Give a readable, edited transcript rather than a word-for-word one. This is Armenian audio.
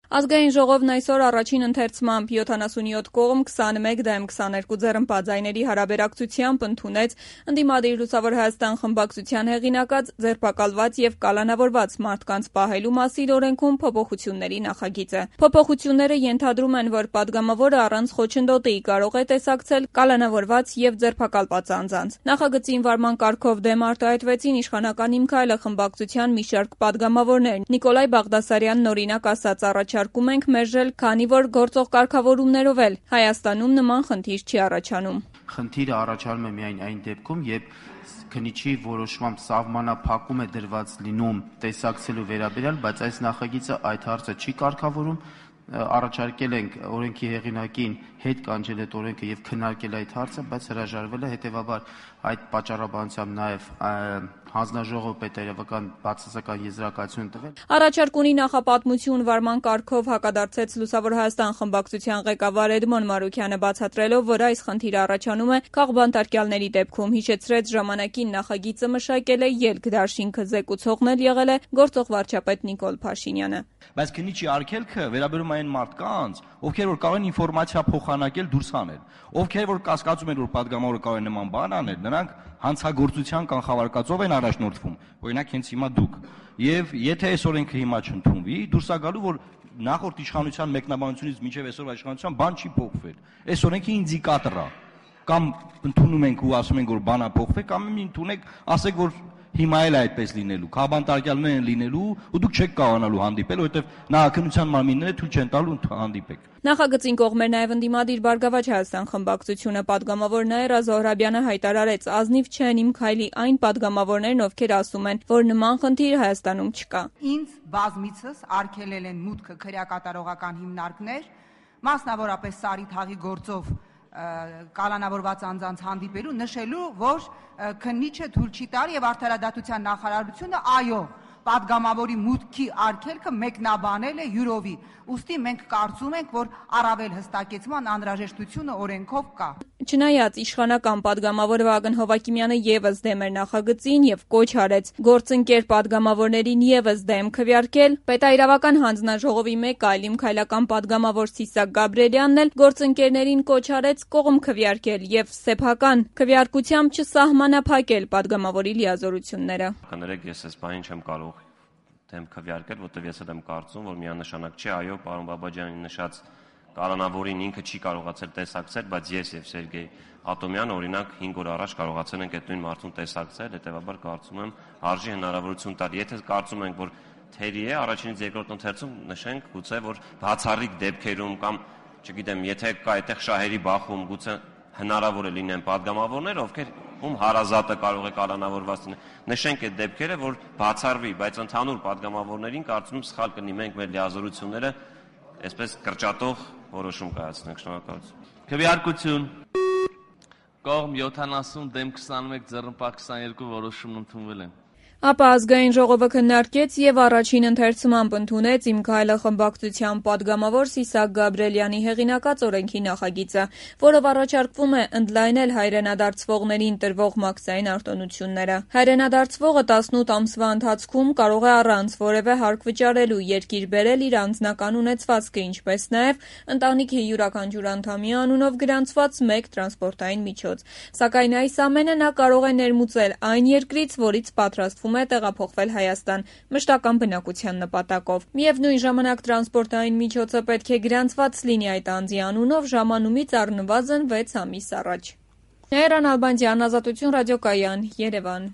Ազգային ժողովն այսօր առաջին ընթերցմամբ 77 կողմ 21 դեմ 22 ձեռնպատ ձայների հարաբերակցությամբ ընդունեց ընդդիմադիր Լուսավոր Հայաստան խմբակցության հեղինակած ձերբակալված եւ կալանավորված մարդկանց պահելու մասին օրենքում փոփոխությունների նախագիծը։ Փոփոխությունները ենթադրում են, որ պատգամավորը առանց խոչընդոտի կարող է տեսակցել կալանավորված եւ ձերբակալված անձանց։ Նախագծի վարման կարգով դեմ արտահայտվեցին իշխանական Իմ քայլը խմբակցության մի շարք պատգամավորներ։ Նիկոլայ Բաղդասարյանն օրինակ ասաց առաջարկում ենք մերժել, քանի որ գործող կարգավորումներով էլ Հայաստանում նման խնդիր չի առաջանում։ Խնդիրը առաջանում է միայն այն դեպքում, երբ քննիչի որոշմամբ սահմանափակում է դրված լինում տեսակցելու վերաբերյալ, բայց այս նախագիծը այդ հարցը չի կարգավորում։ Առաջարկել ենք օրենքի հեղինակին հետ կանչել այդ օրենքը եւ քննարկել այդ հարցը, բայց հրաժարվել է, հետեւաբար այդ պատճառաբանությամբ նաեւ հանձնաժողովը պետերևական բացասական եզրակացություն տվել։ Առաջարկ ունի նախապատմություն վարման կարգով հակադարձեց Լուսավոր Հայաստան խմբակցության ղեկավար Էդմոն Մարուքյանը, բացատրելով, որ այս խնդիրը առաջանում է քաղբանտարկյալների դեպքում, հիշեցրեց ժամանակին նախագիծը մշակել է ելք դաշինքը, զեկուցողն էլ եղել է գործող վարչապետ Նիկոլ Փաշինյանը։ Բայց քննիչի արգելքը վերաբերում այն մարդկանց, ովքեր որ կարող են ինֆորմացիա փոխանակել դուրս հանել, ովքեր որ կասկածում են, որ պատգամավորը կարող է նման բան անել, նրանք հանցագործության կանխավարկածով են առաջնորդվում, օրինակ հենց հիմա դուք։ Եվ եթե այս օրենքը հիմա չընդունվի, դուրս է գալու, որ նախորդ իշխանության մեկնաբանությունից մինչև այսօրվա իշխանության բան չի փոխվել։ Այս օրենքը ինդիկատոր է։ Կամ ընդունում ենք ու ասում ենք, որ բան է փոխվել, կամ ընդունեք, ասեք, որ հիմա էլ այդպես լինելու, քաղբանտարկյալներ են լինելու ու դուք չեք կարողանալու հանդիպել, որովհետև նախաքննության մարմինները թույլ չեն տալու հանդիպեք։ Նախագծին կողմ էր նաև ընդդիմադիր Բարգավաճ Հայաստան խմբակցությունը, պատգամավոր Նաիրա Զոհրաբյանը հայտարարեց, ազնիվ չեն Իմ քայլի այն պատգամավորներն, ովքեր ասում են, որ նման խնդիր Հայաստանում չկա։ Ինձ բազմիցս արգելել են մուտքը քրեակատարողական հիմնարկներ, մասնավորապես Սարի թաղի գործով կալանավորված անձանց հանդիպելու, նշելու, որ քննիչը թույլ չի տալի եւ արդարադատության նախարարությունը այո պատգամավորի մուտքի արգելքը մեկնաբանել է յուրովի։ Ուստի մենք կարծում ենք, որ առավել հստակեցման անհրաժեշտությունը օրենքով կա։ Չնայած իշխանական պատգամավոր Վագն Հովակիմյանը եւս դեմ էր նախագծին եւ կոչ արեց գործընկեր պատգամավորներին եւս դեմ քվեարկել, պետաիրավական հանձնաժողովի մեկ այլ Իմ քայլական պատգամավոր Սիսակ Գաբրելյանն էլ գործընկերներին կոչ արեց կողմ քվեարկել եւ սեփական քվեարկությամբ չսահմանափակել պատգամավորի լիազորությունները։ Կներեք, ես այս բանին չեմ կարող դեմ քվեարկել, որտեղ ես էլ եմ կարծում, որ միանշանակ չէ, այո, պարոն Բաբաջյանի նշած կալանավորին ինքը չի կարողացել տեսակցել, բայց ես եւ Սերգեյ Ատոմյանը օրինակ 5 օր առաջ կարողացել ենք այդ նույն մարդուն տեսակցել, հետեւաբար կարծում եմ արժի հնարավորություն տալ։ Եթե կարծում ենք, որ թերի է, առաջինից երկրորդ ընթերցում նշենք գուցե, որ բացառիկ դեպքերում կամ, չգիտեմ, եթե կա այդտեղ շահերի բախում, գուցե հնարավոր է լինեն պատգամավորներ, ովքեր ում հարազատը կարող է կալանավորված լինել։ Նշենք այդ դեպքերը, որ բացառվի, բայց ընդհանուր պատգամավորներին կարծում եմ սխալ կլինի մենք մեր լիազորությունները այսպես կրճատող որոշում կայացնենք։ Շնորհակալություն։ Քվեարկություն։ Կողմ 70 դեմ 21 ձեռնպատ 22 որոշումն ընդունվել են։ Ապա ազգային ժողովը քննարկեց եւ առաջին ընթերցմամբ ընդունեց Իմ քայլը խմբակցության պատգամավոր Սիսակ Գաբրելյանի հեղինակած օրենքի նախագիծը, որով առաջարկվում է ընդլայնել հայրենադարձվողներին տրվող մաքսային արտոնությունները։ Հայրենադարձվողը 18 ամսվա ընթացքում կարող է առանց որևէ հարկ վճարելու երկիր բերել իր անձնական ունեցվածքը, ինչպես նաեւ ընտանիքի յուրաքանչյուր անդամի անունով գրանցված մեկ տրանսպորտային միջոց։ Սակայն այս ամենը նա կարող է ներմուծել այն երկրից, որից պատրաստվում է տեղափոխվել Հայաստան մշտական բնակության նպատակով։ Միևնույն ժամանակ տրանսպորտային միջոցը պետք է գրանցված լինի այդ անձի անունով ժամանումից առնվազն 6 ամիս առաջ։ Նայիրան Ալբանդյան, Ազատություն ռադիոկայան, Երևան։